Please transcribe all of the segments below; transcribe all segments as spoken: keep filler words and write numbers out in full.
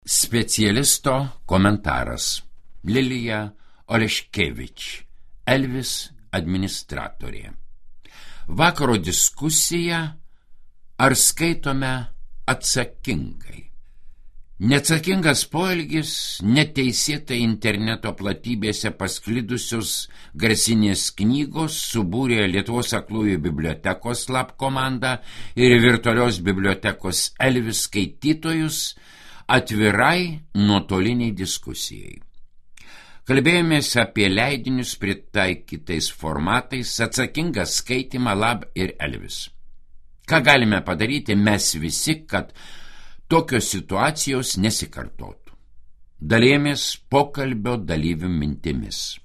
Specialisto komentaras. Lilija Oleškevič, Elvis administratorė. Vakaro diskusija: ar skaitome atsakingai? Neatsakingas poelgis, neteisėtai interneto platybėse pasklidusios garsinės knygos subūrė Lietuvos aklųjų bibliotekos lab komandą ir virtualios bibliotekos Elvis skaitytojus atvirai nuotoliniai diskusijai. Kalbėjomės apie leidinius pritaikytais formatais, atsakingą skaitymą lab ir Elvis. Ką galime padaryti mes visi, kad tokios situacijos nesikartotų? Dalėjomės pokalbio dalyvių mintimis.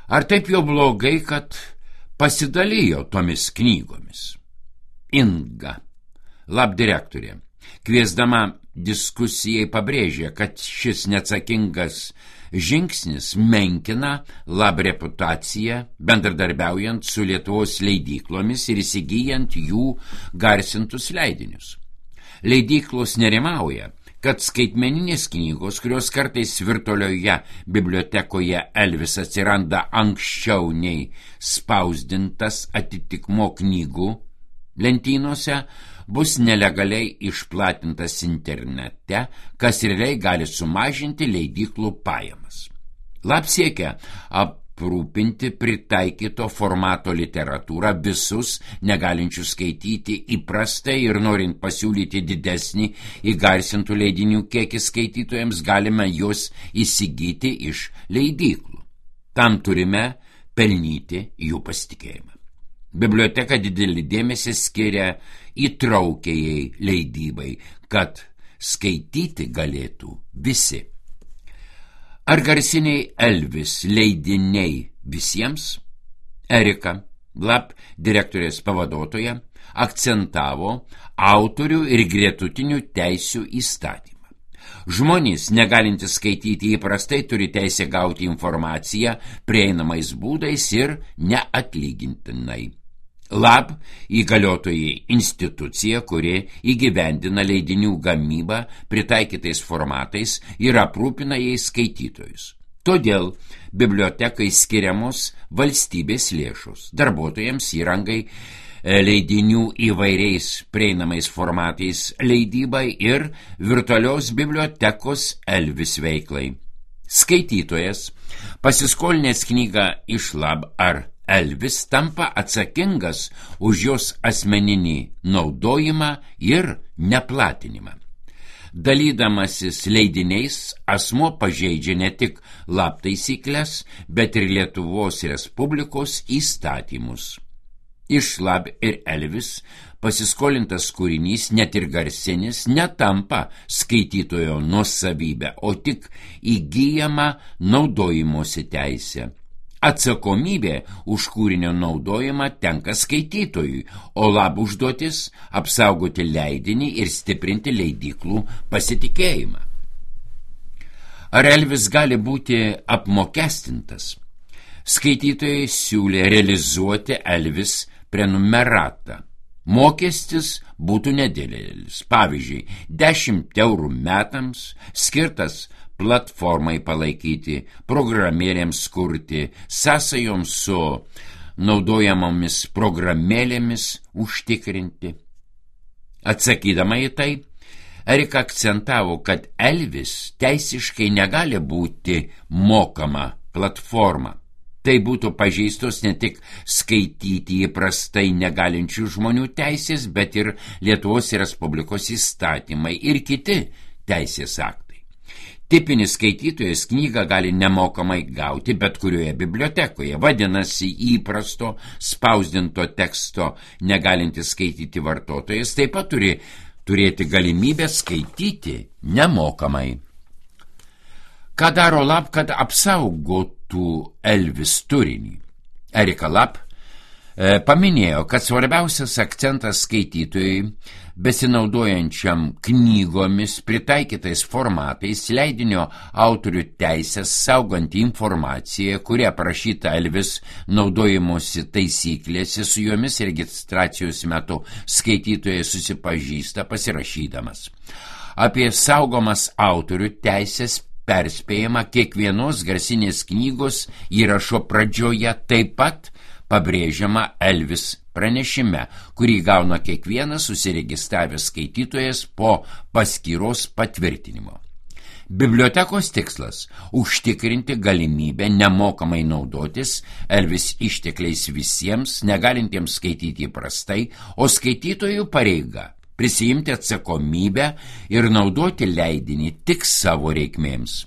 Ar taip jau blogai, kad pasidalijo tomis knygomis? Inga, lab direktorė, kviesdama diskusijai pabrėžė, kad šis neatsakingas žingsnis menkina lab reputaciją, bendradarbiaujant su Lietuvos leidyklomis ir įsigyjant jų garsintus leidinius. Leidyklos nerimauja, kad skaitmeninės knygos, kurios kartais virtualioje bibliotekoje Elvis atsiranda anksčiau nei spausdintas atitikmuo knygų lentynose, bus nelegaliai išplatintas internete, kas realiai gali sumažinti leidyklų pajamas. Lab siekia aprūpinti pritaikyto formato literatūrą visus negalinčius skaityti įprastai ir norint pasiūlyti didesnį įgarsintų leidinių kiekį skaitytojams, galime juos įsigyti iš leidyklų. Tam turime pelnyti jų pasitikėjimą. Biblioteka didelį dėmesį skiria įtraukiajai leidybai, kad skaityti galėtų visi. Ar garsiniai Elvis leidiniai visiems? Erika, lab direktorės pavaduotoja, akcentavo autorių ir gretutinių teisių įstatymą. Žmonės, negalintys skaityti įprastai, turi teisę gauti informaciją prieinamais būdais ir neatlygintinai. Lab įgaliotojai institucija, kuri įgyvendina leidinių gamybą pritaikytais formatais ir aprūpina jais skaitytojus. Todėl bibliotekai skiriamos valstybės lėšos, darbuotojams įrangai, leidinių įvairiais prieinamais formatais leidybai ir virtualios bibliotekos Elvis veiklai. Skaitytojas, pasiskolinęs knygą iš lab ar Elvis, tampa atsakingas už jos asmeninį naudojimą ir neplatinimą. Dalydamasis leidiniais, asmuo pažeidžia ne tik lab taisyklės, bet ir Lietuvos Respublikos įstatymus. Iš lab ir Elvis pasiskolintas kūrinys, net ir garsinis, netampa skaitytojo nuosavybė, o tik įgyjama naudojimosi teisė. Atsakomybė už kūrinio naudojimą tenka skaitytojui, o lab užduotis apsaugoti leidinį ir stiprinti leidyklų pasitikėjimą. Ar Elvis gali būti apmokestintas? Skaitytojai siūlė realizuoti Elvis prenumeratą. Mokestis būtų nedidelis, pavyzdžiui, dešimt eurų metams, skirtas platformai palaikyti, programėlėms kurti, sąsajoms su naudojamomis programėlėmis užtikrinti. Atsakydama į tai, Erika akcentavo, kad Elvis teisiškai negali būti mokama platforma. Tai būtų pažeistos ne tik skaityti įprastai negalinčių žmonių teisės, bet ir Lietuvos Respublikos įstatymai ir kiti teisės aktai. Tipinis skaitytojas knygą gali nemokamai gauti bet kurioje bibliotekoje. Vadinasi, įprasto spausdinto teksto negalintis skaityti vartotojas taip pat turi turėti galimybę skaityti nemokamai. Ką daro lab, kad apsaugotų Elvis turinį? Erika lab e, paminėjo, kad svarbiausias akcentas skaitytojui, besinaudojančiam knygomis pritaikytais formatais, leidinio autorių teisės saugant informaciją, kuri aprašyta Elvis naudojimosi taisyklėse, su jomis registracijos metu skaitytojai susipažįsta pasirašydamas. Apie saugomas autorių teisės perspėjama kiekvienos garsinės knygos įrašo pradžioje, taip pat pabrėžiama Elvis pranešime, kurį gauna kiekvienas susiregistravęs skaitytojas po paskyros patvirtinimo. Bibliotekos tikslas – užtikrinti galimybę nemokamai naudotis Elvis ištekliais visiems, negalintiems skaityti įprastai, o skaitytojų pareiga – prisijimti atsakomybę ir naudoti leidinį tik savo reikmėms.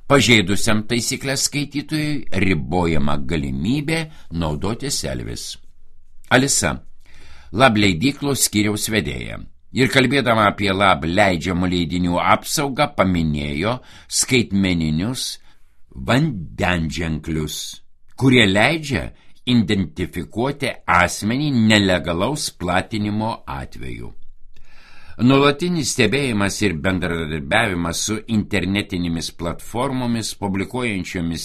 Pažeidusiam taisyklės skaitytojui ribojama galimybė naudotis Elvis. Alisa, Lab leidyklos skyriaus vedėja, ir kalbėdama apie Lab leidžiamų leidinių apsaugą paminėjo skaitmeninius vandenženklius, kurie leidžia identifikuoti asmenį nelegalaus platinimo atveju. Nuolatinis stebėjimas ir bendradarbiavimas su internetinėmis platformomis, publikuojančiomis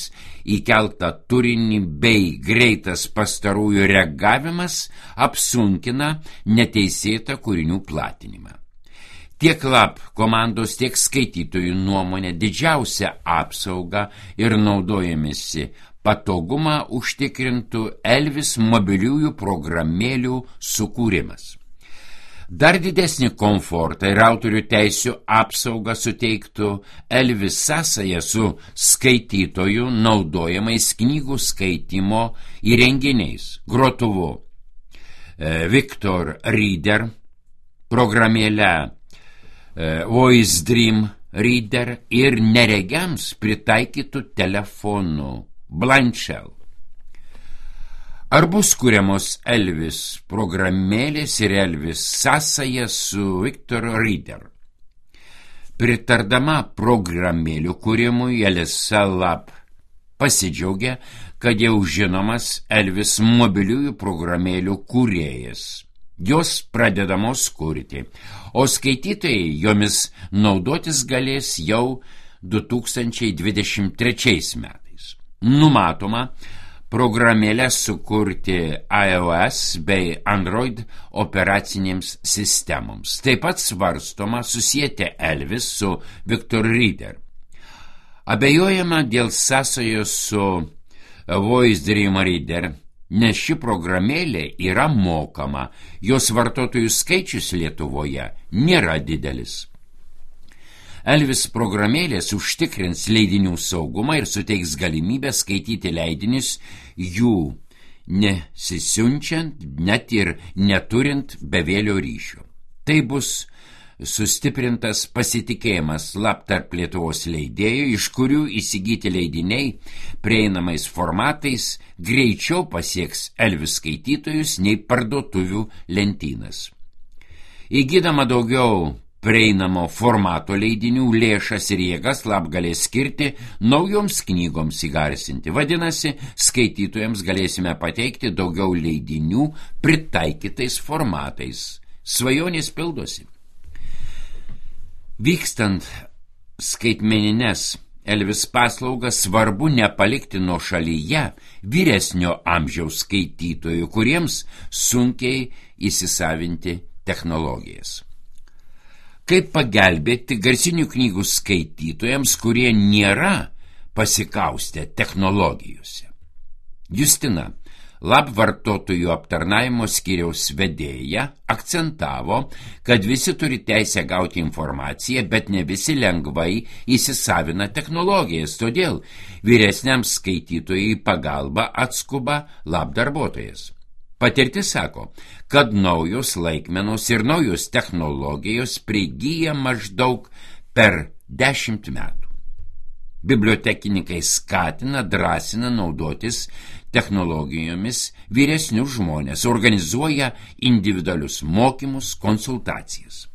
įkeltą turinį bei greitas pastarųjų reagavimas apsunkina neteisėtą kūrinių platinimą. Tiek Lab komandos, tiek skaitytojų nuomonė didžiausia apsauga ir naudojamisi patogumą užtikrintų Elvis mobiliųjų programėlių sukūrimas. Dar didesnį komfortą ir autorių teisių apsaugą suteiktų Elvis sąsaja su skaitytojų naudojamais knygų skaitymo įrenginiais, grotuvu Victor Reader, programėle Voice Dream Reader ir neregiams pritaikytų telefonų Blind Shell. Ar bus kuriamos Elvis programėlės ir Elvis sąsaja su Victor Reader? Pritardama programėlių kūrimui, Alisa Lab pasidžiaugia, kad jau žinomas Elvis mobiliųjų programėlių kūrėjas. Jos pradedamos kurti, o skaitytojai jomis naudotis galės jau du tūkstančiai dvidešimt trečiais metais. Numatoma programėlės sukurti iOS bei Android operacinėms sistemoms. Taip pat svarstoma susijęti Elvis su Victor Reader. Abejojama dėl sąsajos su Voice Dream Reader, nes ši programėlė yra mokama, jos vartotojų skaičius Lietuvoje nėra didelis. Elvis programėlės užtikrins leidinių saugumą ir suteiks galimybę skaityti leidinius jų nesisiunčiant, net ir neturint bevėlio ryšio. Tai bus sustiprintas pasitikėjimas Lab tarp Lietuvos leidėjų, iš kurių įsigyti leidiniai prieinamais formatais greičiau pasieks Elvis skaitytojus nei parduotuvių lentynas. Įgydama daugiau prieinamo formato leidinių lėšas ir jėgas Lab galės skirti naujoms knygoms įgarsinti. Vadinasi, skaitytojams galėsime pateikti daugiau leidinių pritaikytais formatais. Svajonės pildosi. Vykstant skaitmenines Elvis paslaugas svarbu nepalikti nuošalyje vyresnio amžiaus skaitytojų, kuriems sunkiai įsisavinti technologijas. Kaip pagelbėti garsinių knygų skaitytojams, kurie nėra pasikaustę technologijose? Justina, Lab vartotojų aptarnavimo skyriaus vedėja, akcentavo, kad visi turi teisę gauti informaciją, bet ne visi lengvai įsisavina technologijas, todėl vyresniam skaitytojui pagalba atskuba Lab darbuotojas. Patirtis sako, kad naujos laikmenos ir naujos technologijos prigyja maždaug per dešimt metų. Bibliotekininkai skatina, drąsina naudotis technologijomis vyresnius žmonės, organizuoja individualius mokymus, konsultacijas.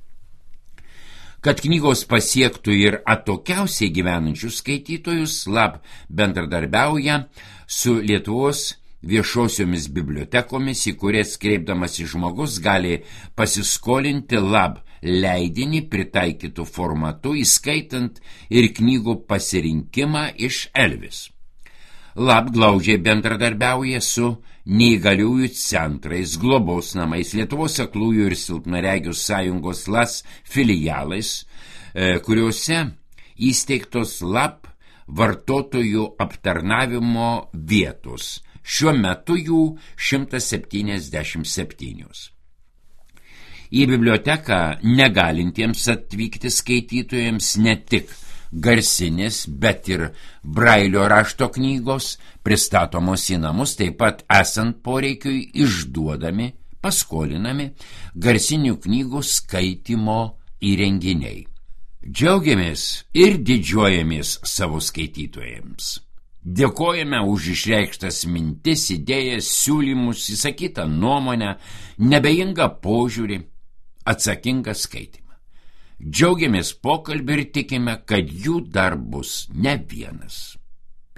Kad knygos pasiektų ir atokiausiai gyvenančius skaitytojus, Lab bendradarbiauja su Lietuvos viešosiomis bibliotekomis, į kurias kreipdamasi žmogus gali pasiskolinti Lab leidinį pritaikytų formatu, įskaitant ir knygų pasirinkimą iš Elvis. Lab glaudžiai bendradarbiauja su neįgaliųjų centrais, globos namais, Lietuvos aklųjų ir silpnaregių sąjungos L A S filialais, kuriuose įsteigtos lap vartotojų aptarnavimo vietos. Šiuo metu jų šimtas septyniasdešimt septynios. Į biblioteką negalintiems atvykti skaitytojams ne tik garsinės, bet ir brailio rašto knygos pristatomos į namus, taip pat esant poreikiui išduodami, paskolinami garsinių knygų skaitymo įrenginiai. Džiaugiamės ir didžiuojamės savo skaitytojams. Dėkojame už išreikštas mintis, idėjas, siūlymus, įsakytą nuomonę, nebeingą požiūrį, atsakingą skaitimą. Džiaugiamės pokalbį ir tikime, kad jų dar bus ne vienas.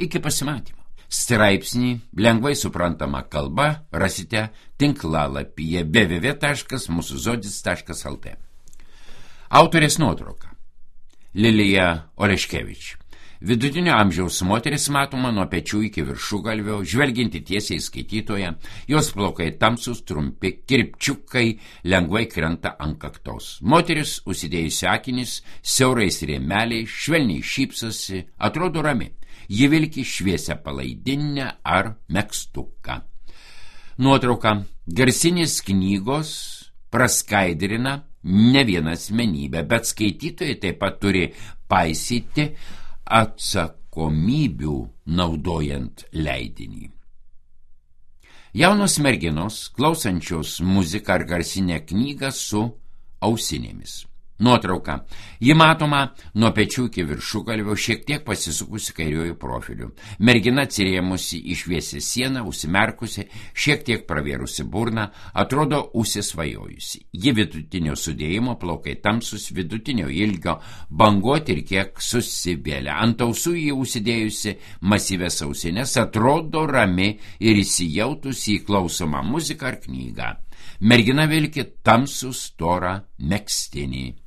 Iki pasimatymo. Straipsnį lengvai suprantama kalba rasite tinklalapyje w w w taškas mūsų žodis taškas l t. Autorės nuotrauka. Lilija Oleškevič. Vidutinio amžiaus moteris matoma nuo pečių iki viršugalvio, žvelginti tiesiai skaitytoją, jos plaukai tamsus, trumpi, kirpčiukai lengvai krenta ant kaktos. Moteris užsidėjusi akinis, siaurais rėmeliais, švelniai šypsosi, atrodo rami. Ji vilki šviesią palaidinę ar megztuką. Nuotrauka. Garsinės knygos praskaidrina ne vieną asmenybę, bet skaitytojai taip pat turi paisyti atsakomybių naudojant leidinį. Jaunos merginos, klausančios muziką ar garsinę knygą su ausinėmis. Nuotrauka. Ji matoma nuo pečių iki viršugalvio, šiek tiek pasisukusi kairiuoju profiliu. Mergina atsirėmusi į šviesią sieną, užsimerkusi, šiek tiek pravėrusi burną, atrodo užsisvajojusi. Ji vidutinio sudėjimo, plaukai tamsus, vidutinio ilgio, banguoti ir kiek susivėlę. Ant ausų ji užsidėjusi masyvės ausinės, atrodo rami ir įsijautusi į klausomą muziką ar knygą. Mergina vilki tamsų storą megztinį.